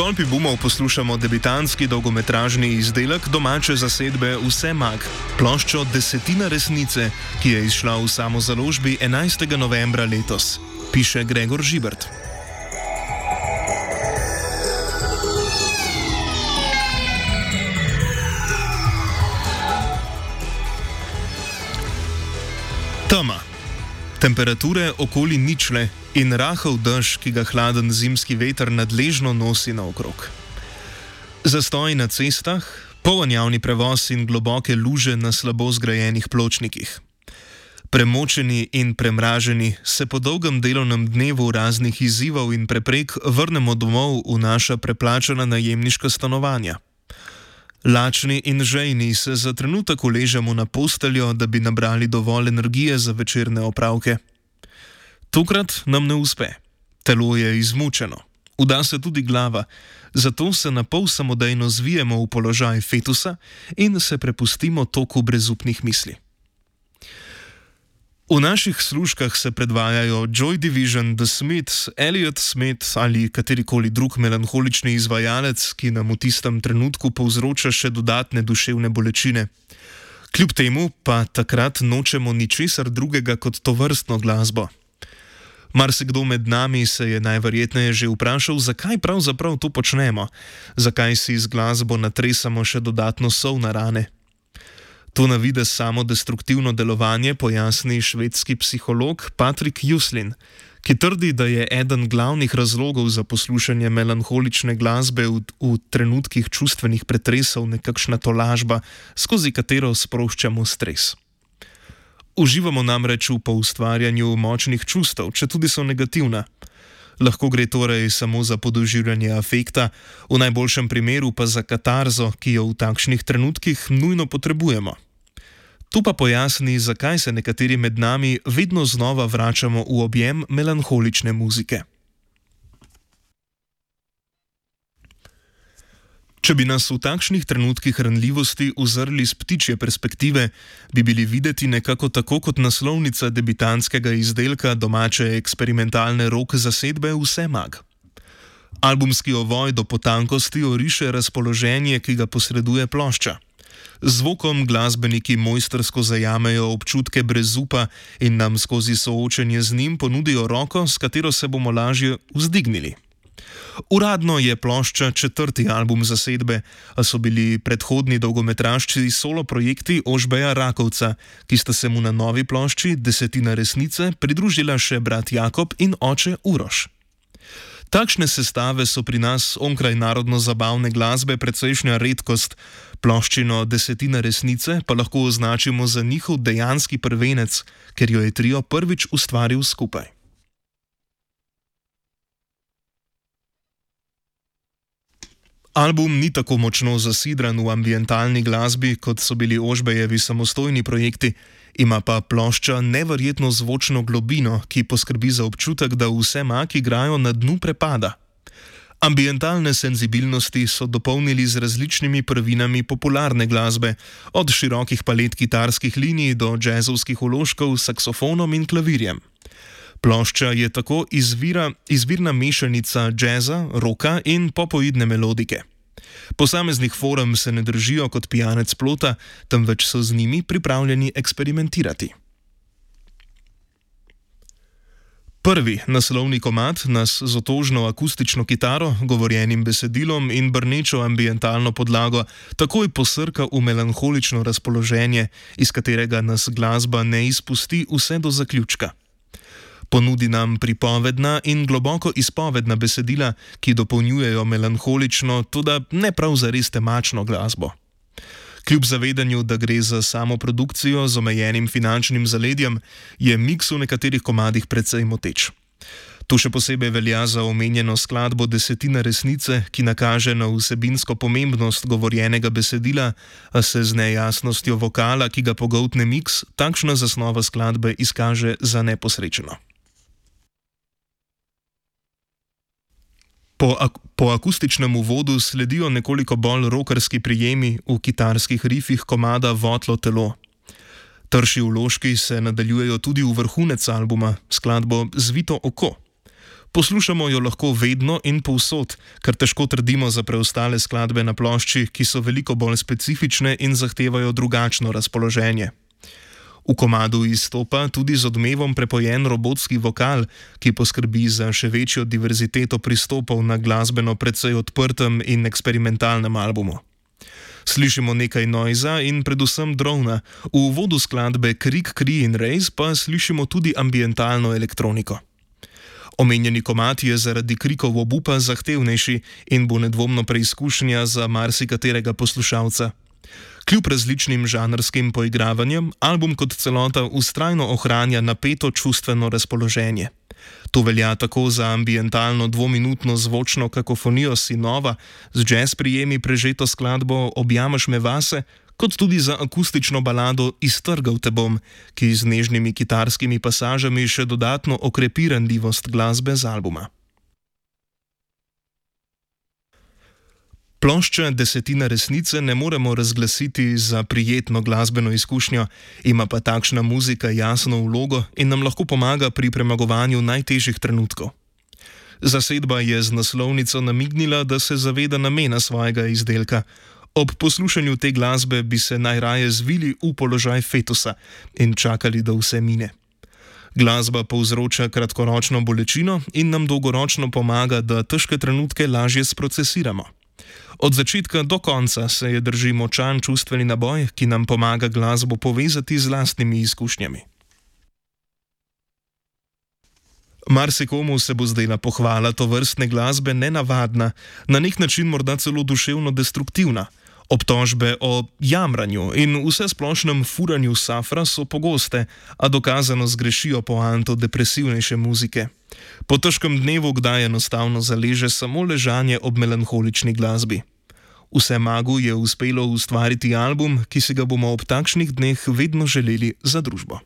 Stolpi bumov poslušamo debitantski dolgometražni izdelek domače zasedbe Vse mag, ploščo Desetina resnice, ki je izšla v samozaložbi 11. novembra letos, piše Gregor Žibert. Tema. Temperature okoli ničle in rahel dež, ki ga hladen zimski veter nadležno nosi naokrog. Zastoj na cestah, poln javni prevoz in globoke luže na slabo zgrajenih pločnikih. Premočeni in premraženi se po dolgem delovnem dnevu raznih izzivov in preprek vrnemo domov v naša preplačana najemniška stanovanja. Lačni in žejni se za trenutek uležemo na posteljo, da bi nabrali dovolj energije za večerne opravke. Tokrat nam ne uspe. Telo je izmučeno. Uda se tudi glava, zato se na pol samodejno zvijemo v položaj fetusa in se prepustimo toku brezupnih misli. V naših služkah se predvajajo Joy Division, The Smiths, Elliott Smith ali katerikoli drug melanholični izvajalec, ki nam v tistem trenutku povzroča še dodatne duševne bolečine. Kljub temu pa takrat nočemo ničesar drugega kot tovrstno glasbo. Marsikdo med nami se je najverjetneje že vprašal, zakaj pravzaprav to počnemo, zakaj si z glasbo natresamo še dodatno sol na rane. To na videz samodestruktivno delovanje pojasni švedski psiholog Patrick Juslin, ki trdi, da je eden glavnih razlogov za poslušanje melanholične glasbe v trenutkih čustvenih pretresov nekakšna tolažba, skozi katero sproščamo stres. Uživamo namreč v poustvarjanju močnih čustev, četudi so negativna. Lahko gre torej samo za podoživljanje afekta, v najboljšem primeru pa za katarzo, ki jo v takšnih trenutkih nujno potrebujemo. Tu pa pojasni, zakaj se nekateri med nami vedno znova vračamo v objem melanholične muzike. Če bi nas v takšnih trenutkih ranljivosti uzrli z ptičje perspektive, bi bili videti nekako tako kot naslovnica debitantskega izdelka domače eksperimentalne rock zasedbe Vse mag. Albumski ovoj do potankosti oriše razpoloženje, ki ga posreduje plošča. Z zvokom glasbeniki mojstrsko zajamejo občutke brezupa in nam skozi soočenje z njim ponudijo roko, s katero se bomo lažje vzdignili. Uradno je plošča 4. album zasedbe, a so bili predhodni dolgometražci solo projekti Ožbeja Rakovca, ki sta se mu na novi plošči Desetina resnice pridružila še brat Jakob in oče Uroš. Takšne sestave so pri nas onkraj narodno-zabavne glasbe precejšnja redkost, ploščino Desetina resnice pa lahko označimo za njihov dejanski prvenec, ker jo je trio prvič ustvaril skupaj. Album ni tako močno zasidran v ambientalni glasbi, kot so bili Ožbejevi samostojni projekti, ima pa plošča neverjetno zvočno globino, ki poskrbi za občutek, da Vse mag igrajo na dnu prepada. Ambientalne senzibilnosti so dopolnili z različnimi prvinami popularne glasbe, od širokih palet kitarskih linij do džezovskih vložkov s saksofonom in klavirjem. Plošča je tako izvirna mešanica džeza, roka in popoidne melodike. Posameznih forem se ne držijo kot pijanec plota, temveč so z njimi pripravljeni eksperimentirati. Prvi naslovni komad nas z otožno akustično kitaro, govorjenim besedilom in brnečo ambientalno podlago takoj posrka v melanholično razpoloženje, iz katerega nas glasba ne izpusti vse do zaključka. Ponudi nam pripovedna in globoko izpovedna besedila, ki dopolnjujejo melanholično, toda ne prav zares temačno glasbo. Kljub zavedanju, da gre za samo produkcijo z omejenim finančnim zaledjem, je miks v nekaterih komadih precej moteč. To še posebej velja za omenjeno skladbo Desetina resnice, ki nakaže na vsebinsko pomembnost govorjenega besedila, a se z nejasnostjo vokala, ki ga pogoltne miks, takšna zasnova skladbe izkaže za neposrečeno. Po akustičnem uvodu sledijo nekoliko bolj rokerski prijemi v kitarskih rifih komada Votlo telo. Trši vložki se nadaljujejo tudi v vrhunec albuma, skladbo Zvito oko. Poslušamo jo lahko vedno in povsod, kar težko trdimo za preostale skladbe na plošči, ki so veliko bolj specifične in zahtevajo drugačno razpoloženje. V komadu izstopa tudi z odmevom prepojen robotski vokal, ki poskrbi za še večjo diverziteto pristopov na glasbeno precej odprtem in eksperimentalnem albumu. Slišimo nekaj noiza in predvsem drona, v uvodu skladbe Krik, Kri in Rejs pa slišimo tudi ambientalno elektroniko. Omenjeni komad je zaradi krikov obupa zahtevnejši in bo nedvomno preizkušnja za marsikaterega poslušalca. Kljub različnim žanrskim poigravanjem, album kot celota vztrajno ohranja napeto čustveno razpoloženje. To velja tako za ambientalno dvominutno zvočno kakofonijo Sinova, z jazz prijemi prežeto skladbo Objameš me vase, kot tudi za akustično balado Iztrgal te bom, ki z nežnimi kitarskimi pasažami še dodatno okrepi ranljivost glasbe z albuma. Plošča Desetina resnice ne moremo razglasiti za prijetno glasbeno izkušnjo, ima pa takšna muzika jasno vlogo in nam lahko pomaga pri premagovanju najtežjih trenutkov. Zasedba je z naslovnico namignila, da se zaveda namena svojega izdelka. Ob poslušanju te glasbe bi se najraje zvili v položaj fetusa in čakali, da vse mine. Glasba povzroča kratkoročno bolečino in nam dolgoročno pomaga, da težke trenutke lažje sprocesiramo. Od začetka do konca se je drži močan čustveni naboj, ki nam pomaga glasbo povezati z lastnimi izkušnjami. Marsikomu se bo zdela pohvala tovrstne glasbe nenavadna, na nek način morda celo duševno destruktivna. Obtožbe o jamranju in vsesplošnem furanju safra so pogoste, a dokazano zgrešijo poanto depresivnejše muzike. Po težkem dnevu kdaj enostavno zaleže samo ležanje ob melanholični glasbi. Vsemagu je uspelo ustvariti album, ki si ga bomo ob takšnih dneh vedno želeli za družbo.